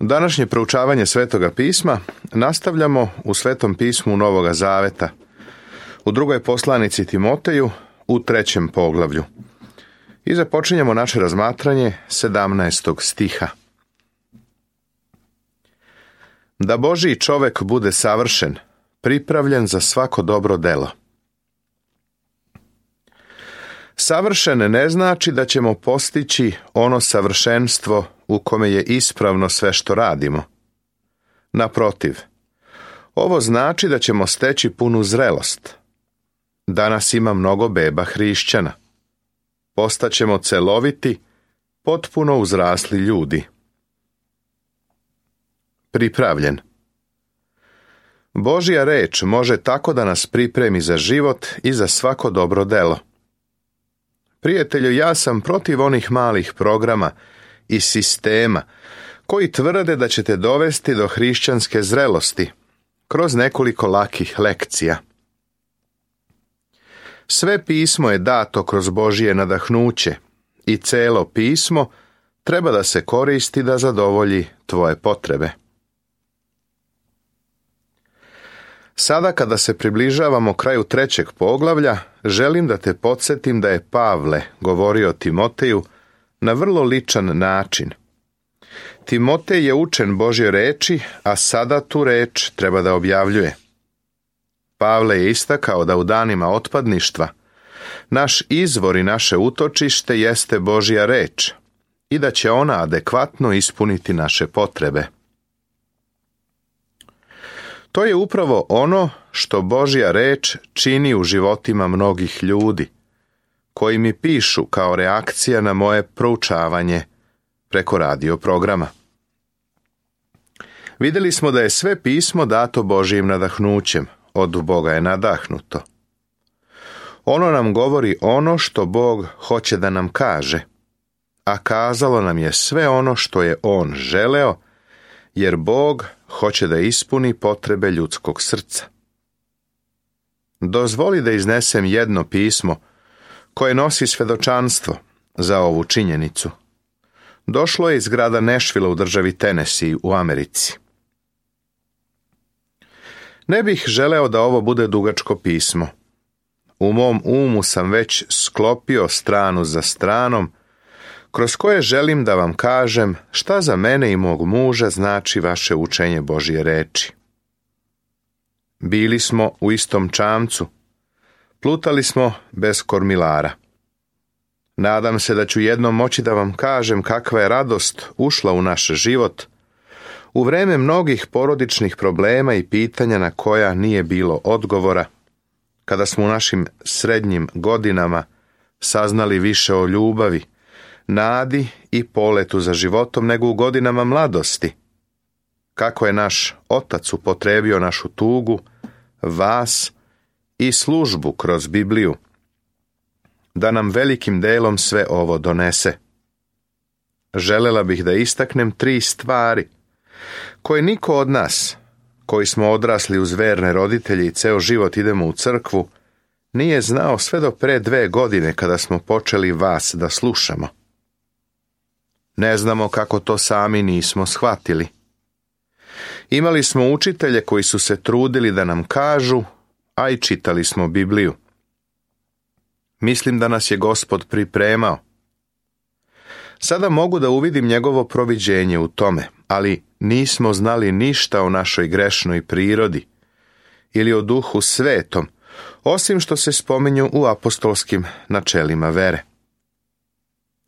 Današnje proučavanje Svetoga pisma nastavljamo u Svetom pismu Novoga Zaveta, u drugoj poslanici Timoteju, u 3. poglavlju. I započinjemo naše razmatranje 17. stiha. Da Božji čovek bude savršen, pripravljen za svako dobro delo. Savršen ne znači da ćemo postići ono savršenstvo u kome je ispravno sve što radimo. Naprotiv, ovo znači da ćemo steći punu zrelost. Danas ima mnogo beba hrišćana. Postaćemo celoviti, potpuno uzrasli ljudi. Pripravljen. Božja reč može tako da nas pripremi za život i za svako dobro delo. Prijatelju, ja sam protiv onih malih programa i sistema koji tvrde da ćete dovesti do hrišćanske zrelosti kroz nekoliko lakih lekcija. Sve pismo je dato kroz Božje nadahnuće i celo pismo treba da se koristi da zadovolji tvoje potrebe. Sada kada se približavamo kraju 3. poglavlja, želim da te podsjetim da je Pavle govorio Timoteju na vrlo ličan način. Timotej je učen Božje reči, a sada tu reč treba da objavljuje. Pavle je istakao da u danima otpadništva naš izvor i naše utočište jeste Božja reč i da će ona adekvatno ispuniti naše potrebe. To je upravo ono što Božja reč čini u životima mnogih ljudi, koji mi pišu kao reakcija na moje proučavanje preko radio programa. Vidjeli smo da je sve pismo dato Božjim nadahnućem, od Boga je nadahnuto. Ono nam govori ono što Bog hoće da nam kaže, a kazalo nam je sve ono što je On želeo, jer Bog hoće da ispuni potrebe ljudskog srca. Dozvoli da iznesem jedno pismo koje nosi svedočanstvo za ovu činjenicu. Došlo je iz grada Nashville u državi Tennessee u Americi. Ne bih želeo da ovo bude dugačko pismo. U mom umu sam već sklopio stranu za stranom, kroz koje želim da vam kažem šta za mene i mog muža znači vaše učenje Božje reči. Bili smo u istom čamcu, plutali smo bez kormilara. Nadam se da ću jednom moći da vam kažem kakva je radost ušla u naš život u vreme mnogih porodičnih problema i pitanja na koja nije bilo odgovora, kada smo u našim srednjim godinama saznali više o ljubavi, nadi i poletu za životom nego u godinama mladosti. Kako je naš Otac upotrebio našu tugu, vas i službu kroz Bibliju, da nam velikim delom sve ovo donese. Želela bih da istaknem 3 stvari koje niko od nas, koji smo odrasli uz verne roditelje i ceo život idemo u crkvu, nije znao sve do pre 2 godine kada smo počeli vas da slušamo. Ne znamo kako to sami nismo shvatili. Imali smo učitelje koji su se trudili da nam kažu, a i čitali smo Bibliju. Mislim da nas je Gospod pripremao. Sada mogu da uvidim njegovo proviđenje u tome, ali nismo znali ništa o našoj grešnoj prirodi ili o Duhu Svetom, osim što se spominju u apostolskim načelima vere.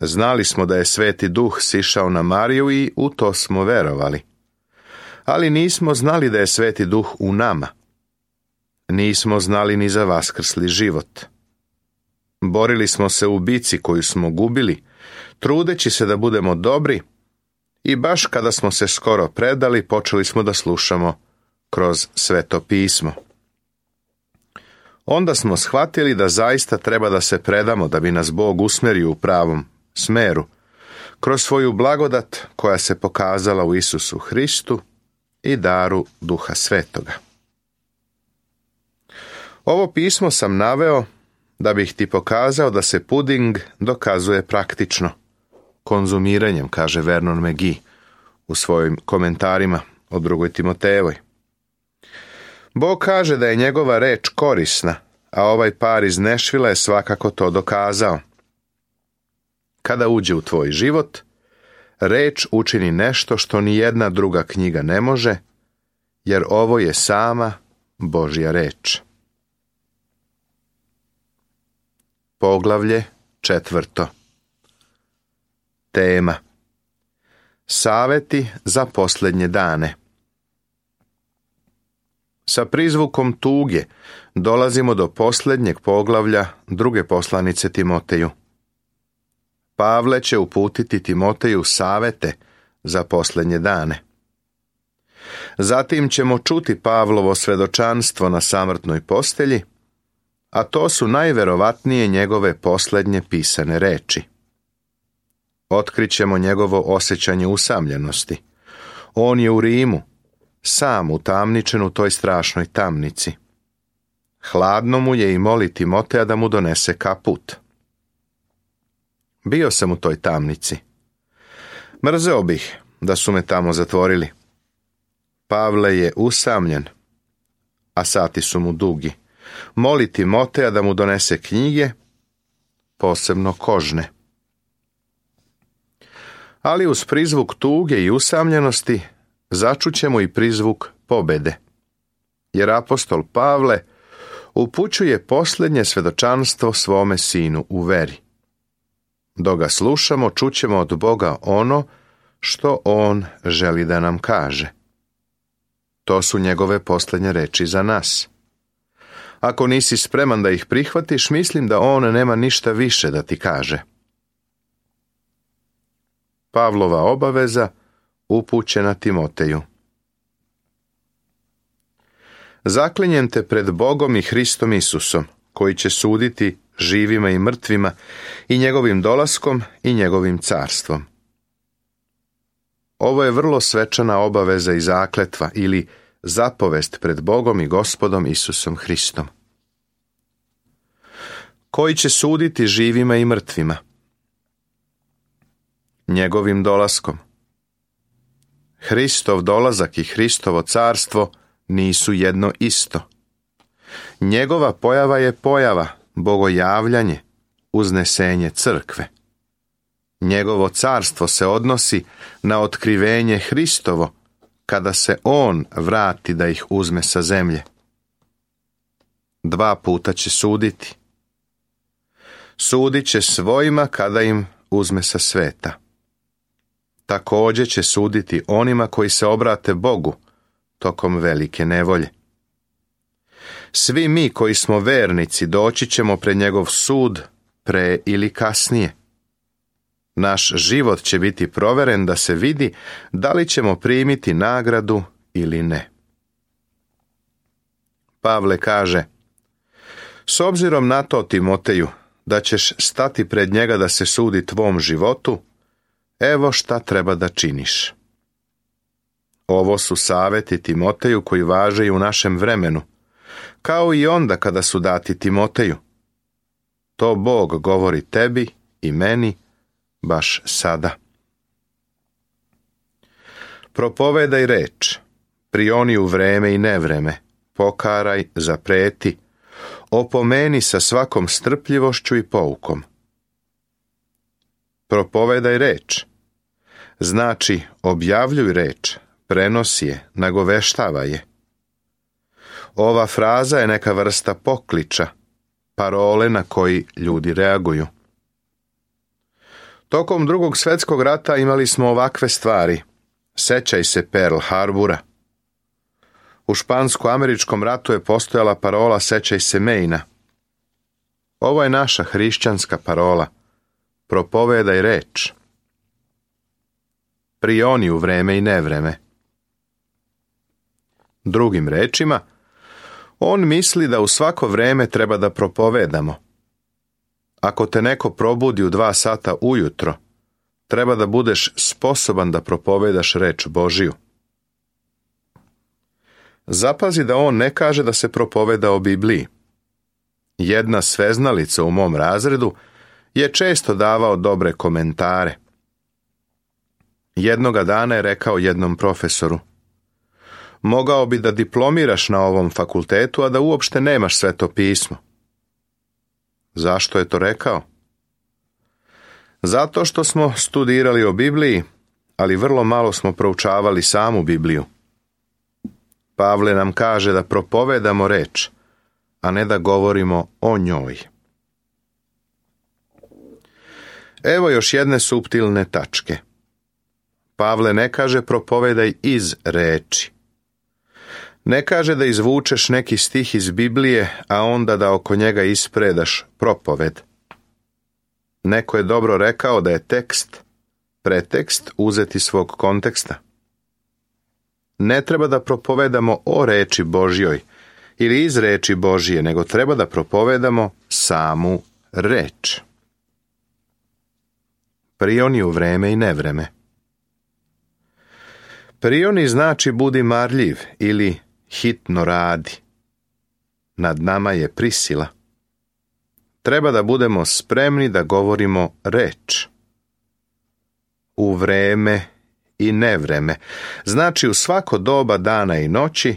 Znali smo da je Sveti Duh sišao na Mariju i u to smo verovali. Ali nismo znali da je Sveti Duh u nama. Nismo znali ni za vaskrsli život. Borili smo se u bici koju smo gubili, trudeći se da budemo dobri, i baš kada smo se skoro predali, počeli smo da slušamo kroz Sveto pismo. Onda smo shvatili da zaista treba da se predamo da bi nas Bog usmerio u pravom smeru, kroz svoju blagodat koja se pokazala u Isusu Hristu i daru Duha Svetoga. Ovo pismo sam naveo da bih ti pokazao da se puding dokazuje praktično, konzumiranjem, kaže Vernon McGee u svojim komentarima o 2. Timotejevoj. Bog kaže da je njegova reč korisna, a ovaj par iz Nešvila je svakako to dokazao. Kada uđe u tvoj život, reč učini nešto što ni jedna druga knjiga ne može, jer ovo je sama Božja reč. Poglavlje 4. Tema: Saveti za posljednje dane. Sa prizvukom tuge dolazimo do posljednjeg poglavlja 2. poslanice Timoteju. Pavle će uputiti Timoteju savete za posljednje dane. Zatim ćemo čuti Pavlovo svedočanstvo na samrtnoj postelji, a to su najverovatnije njegove posljednje pisane reči. Otkrićemo njegovo osjećanje usamljenosti. On je u Rimu, sam utamničen u toj strašnoj tamnici. Hladno mu je i moli Timoteja da mu donese kaput. Bio sam u toj tamnici. Mrzeo bih da su me tamo zatvorili. Pavle je usamljen, a sati su mu dugi. Moli Timoteja da mu donese knjige, posebno kožne. Ali uz prizvuk tuge i usamljenosti začućemo i prizvuk pobede. Jer apostol Pavle upućuje posljednje svedočanstvo svome sinu u veri. Dok ga slušamo, čućemo od Boga ono što on želi da nam kaže. To su njegove posljednje reči za nas. Ako nisi spreman da ih prihvatiš, mislim da on nema ništa više da ti kaže. Pavlova obaveza upućena Timoteju. Zaklinjem te pred Bogom i Hristom Isusom, koji će suditi živima i mrtvima, i njegovim dolaskom i njegovim carstvom. Ovo je vrlo svečana obaveza i zakletva ili zapovest pred Bogom i Gospodom Isusom Hristom. Koji će suditi živima i mrtvima? Njegovim dolaskom. Hristov dolazak i Hristovo carstvo nisu jedno isto. Njegova pojava je pojava, bogojavljanje, uznesenje crkve. Njegovo carstvo se odnosi na otkrivenje Hristovo, kada se on vrati da ih uzme sa zemlje. 2 puta će suditi. Sudit će svojima kada im uzme sa sveta. Također će suditi onima koji se obrate Bogu tokom velike nevolje. Svi mi koji smo vernici doći ćemo pred njegov sud pre ili kasnije. Naš život će biti proveren da se vidi da li ćemo primiti nagradu ili ne. Pavle kaže: S obzirom na to, Timoteju, da ćeš stati pred njega da se sudi tvom životu, evo šta treba da činiš. Ovo su saveti Timoteju koji važe i u našem vremenu, kao i onda kada su dati Timoteju. To Bog govori tebi i meni baš sada. Propovedaj reč, prioni u vreme i nevreme, pokaraj, zapreti, opomeni sa svakom strpljivošću i poukom. Propovedaj reč, znači objavljuj reč, prenosi je, nagoveštavaj je. Ova fraza je neka vrsta pokliča, parole na koji ljudi reaguju. Tokom Drugog svjetskog rata imali smo ovakve stvari. Sećaj se Pearl Harbora. U špansko-američkom ratu je postojala parola Sećaj se Maina. Ovo je naša hrišćanska parola. Propovedaj reč. Prioni u vreme i nevreme. Drugim rečima, on misli da u svako vreme treba da propovedamo. Ako te neko probudi u 2 sata ujutro, treba da budeš sposoban da propovedaš reč Božiju. Zapazi da on ne kaže da se propoveda o Bibliji. Jedna sveznalica u mom razredu je često davao dobre komentare. Jednoga dana je rekao jednom profesoru: mogao bi da diplomiraš na ovom fakultetu, a da uopšte nemaš Sveto pismo. Zašto je to rekao? Zato što smo studirali o Bibliji, ali vrlo malo smo proučavali samu Bibliju. Pavle nam kaže da propovedamo reč, a ne da govorimo o njoj. Evo još jedne suptilne tačke. Pavle ne kaže propovedaj iz reči. Ne kaže da izvučeš neki stih iz Biblije, a onda da oko njega ispredaš propoved. Neko je dobro rekao da je tekst, pretekst uzet iz svog konteksta. Ne treba da propovedamo o reči Božjoj ili iz reči Božje, nego treba da propovedamo samu reč. Prioni u vreme i nevreme. Prioni znači budi marljiv ili hitno radi. Nad nama je prisila. Treba da budemo spremni da govorimo reč. U vreme i nevreme, znači u svako doba dana i noći,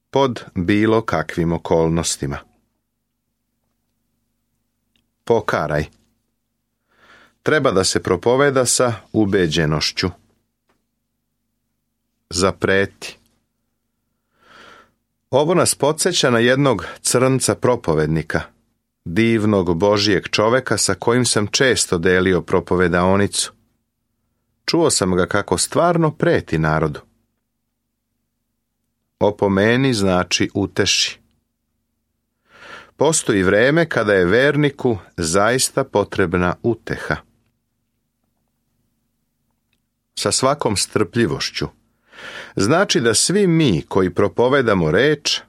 pod bilo kakvim okolnostima. Pokaraj. Treba da se propoveda sa ubeđenošću. Zapreti. Ovo nas podsjeća na jednog crnca propovednika, divnog Božijeg čoveka sa kojim sam često delio propovedaonicu. Čuo sam ga kako stvarno preti narodu. Opomeni znači uteši. Postoji vreme kada je verniku zaista potrebna uteha. Sa svakom strpljivošću. Znači da svi mi koji propovedamo reč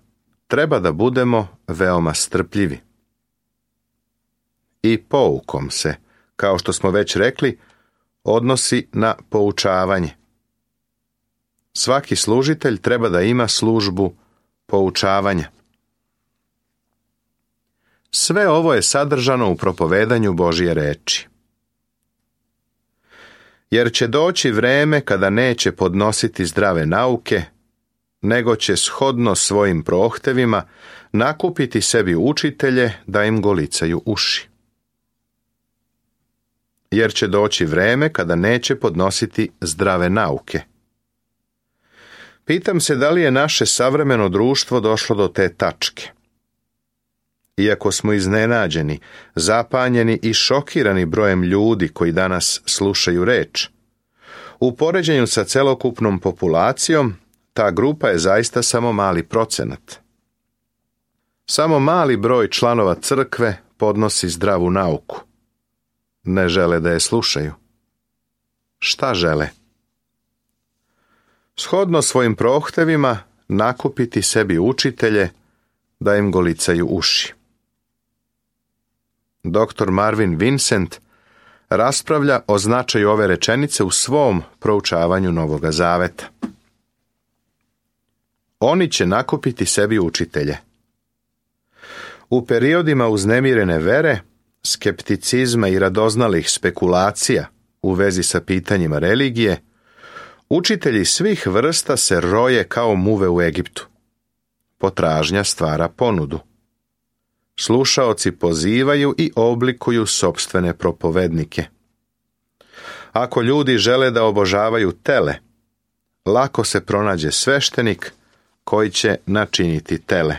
treba da budemo veoma strpljivi. I poukom se, kao što smo već rekli, odnosi na poučavanje. Svaki služitelj treba da ima službu poučavanja. Sve ovo je sadržano u propovedanju Božje reči. Jer će doći vreme kada neće podnositi zdrave nauke, nego će shodno svojim prohtevima nakupiti sebi učitelje da im golicaju uši. Jer će doći vreme kada neće podnositi zdrave nauke. Pitam se da li je naše savremeno društvo došlo do te tačke. Iako smo iznenađeni, zapanjeni i šokirani brojem ljudi koji danas slušaju reč, u poređenju sa celokupnom populacijom, ta grupa je zaista samo mali procenat. Samo mali broj članova crkve podnosi zdravu nauku. Ne žele da je slušaju. Šta žele? Shodno svojim prohtevima nakupiti sebi učitelje da im golicaju uši. Dr. Marvin Vincent raspravlja o značaju ove rečenice u svom proučavanju Novoga Zaveta. Oni će nakupiti sebi učitelje. U periodima uznemirene vere, skepticizma i radoznalih spekulacija u vezi sa pitanjima religije, učitelji svih vrsta se roje kao muve u Egiptu. Potražnja stvara ponudu. Slušaoci pozivaju i oblikuju sopstvene propovednike. Ako ljudi žele da obožavaju tele, lako se pronađe sveštenik koji će načiniti tele.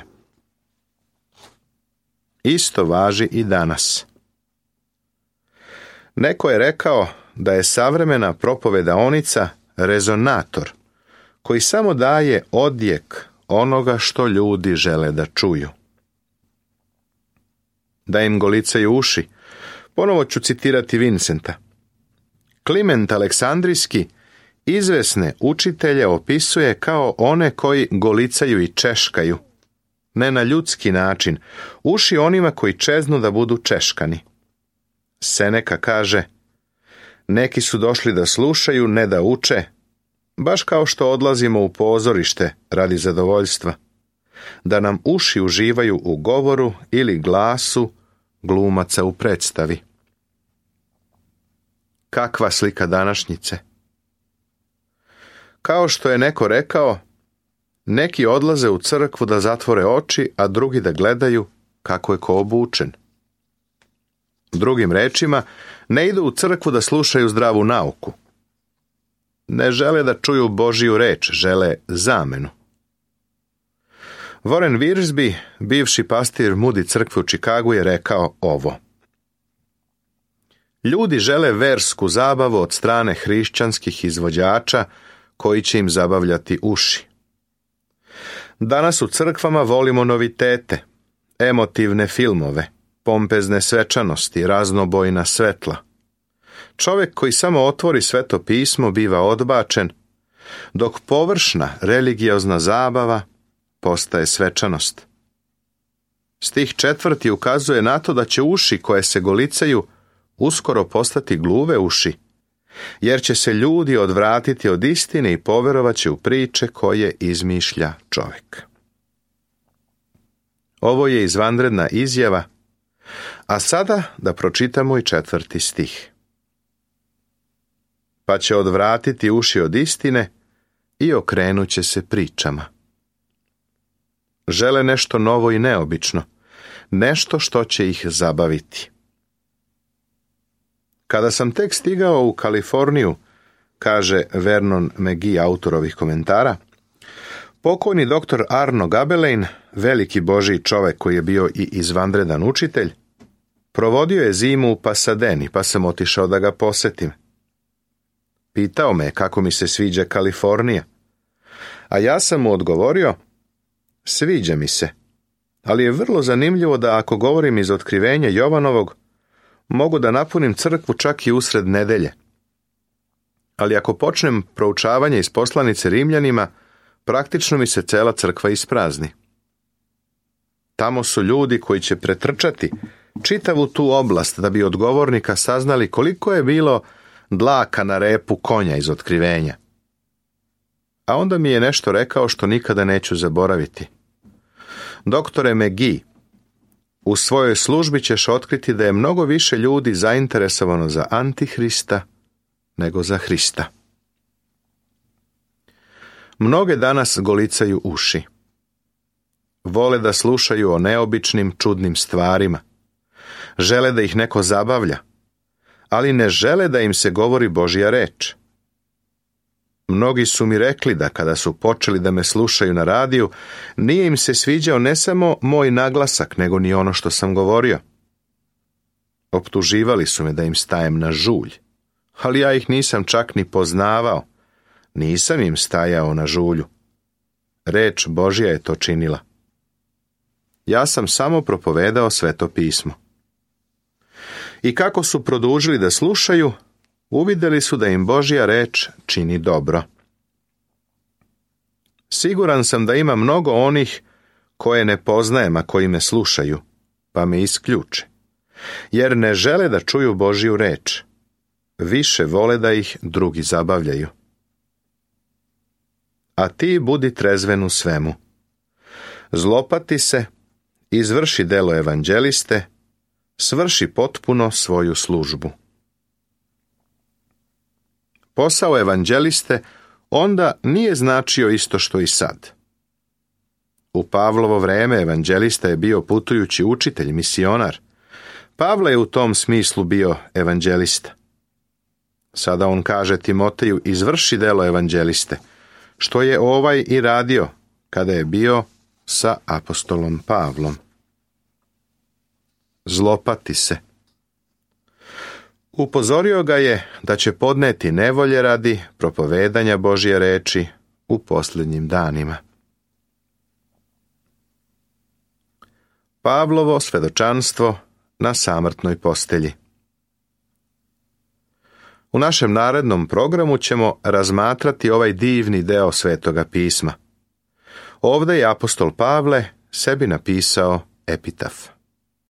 Isto važi i danas. Neko je rekao da je savremena propovedaonica rezonator koji samo daje odjek onoga što ljudi žele da čuju. Da im golicaju uši, ponovo ću citirati Vincenta. Kliment Aleksandrijski izvesne učitelje opisuje kao one koji golicaju i češkaju, ne na ljudski način, uši onima koji čeznu da budu češkani. Seneka kaže, neki su došli da slušaju, ne da uče, baš kao što odlazimo u pozorište radi zadovoljstva, da nam uši uživaju u govoru ili glasu glumaca u predstavi. Kakva slika današnjice? Kao što je neko rekao, neki odlaze u crkvu da zatvore oči, a drugi da gledaju kako je ko obučen. Drugim rečima, ne idu u crkvu da slušaju zdravu nauku. Ne žele da čuju Božiju reč, žele zamenu. Warren Wiersbe, bivši pastir Moody crkve u Čikagu, je rekao ovo. Ljudi žele versku zabavu od strane hrišćanskih izvođača koji će im zabavljati uši. Danas u crkvama volimo novitete, emotivne filmove, pompezne svečanosti, raznobojna svetla. Čovjek koji samo otvori Sveto pismo biva odbačen, dok površna religiozna zabava postaje svečanost. Stih 4. ukazuje na to da će uši koje se golicaju uskoro postati gluve uši, jer će se ljudi odvratiti od istine i poverovat će u priče koje izmišlja čovjek. Ovo je izvanredna izjava, a sada da pročitamo i 4. stih. Pa će odvratiti uši od istine i okrenut će se pričama. Žele nešto novo i neobično, nešto što će ih zabaviti. Kada sam tek stigao u Kaliforniju, kaže Vernon McGee, autor ovih komentara, pokojni doktor Arno Gabelein, veliki Božji čovjek koji je bio i izvanredan učitelj, provodio je zimu u Pasadeni, pa sam otišao da ga posetim. Pitao me kako mi se sviđa Kalifornija, a ja sam mu odgovorio, sviđa mi se, ali je vrlo zanimljivo da ako govorim iz otkrivenja Jovanovog, mogu da napunim crkvu čak i usred nedelje. Ali ako počnem proučavanje iz poslanice Rimljanima, praktično mi se cela crkva isprazni. Tamo su ljudi koji će pretrčati čitavu tu oblast da bi od govornika saznali koliko je bilo dlaka na repu konja iz otkrivenja. A onda mi je nešto rekao što nikada neću zaboraviti. Doktore McGee, u svojoj službi ćeš otkriti da je mnogo više ljudi zainteresovano za Antihrista nego za Hrista. Mnoge danas golicaju uši. Vole da slušaju o neobičnim, čudnim stvarima. Žele da ih neko zabavlja, ali ne žele da im se govori Božja reč. Mnogi su mi rekli da kada su počeli da me slušaju na radiju, nije im se sviđao ne samo moj naglasak, nego ni ono što sam govorio. Optuživali su me da im stajem na žulj, ali ja ih nisam čak ni poznavao. Nisam im stajao na žulju. Reč Božja je to činila. Ja sam samo propovedao Sveto pismo. I kako su produžili da slušaju, uvidjeli su da im Božja reč čini dobro. Siguran sam da ima mnogo onih koje ne poznajem, a koji me slušaju, pa me isključe, jer ne žele da čuju Božju reč. Više vole da ih drugi zabavljaju. A ti budi trezven u svemu. Zlopati se, izvrši delo evanđeliste, svrši potpuno svoju službu. Posao evanđeliste onda nije značio isto što i sad. U Pavlovo vreme evanđelista je bio putujući učitelj, misionar. Pavle je u tom smislu bio evanđelista. Sada on kaže Timoteju, izvrši delo evanđeliste, što je ovaj i radio kada je bio sa apostolom Pavlom. Zlopati se. Upozorio ga je da će podneti nevolje radi propovedanja Božje reči u posljednjim danima. Pavlovo svedočanstvo na samrtnoj postelji. U našem narednom programu ćemo razmatrati ovaj divni deo Svetoga pisma. Ovdje je apostol Pavle sebi napisao epitaf.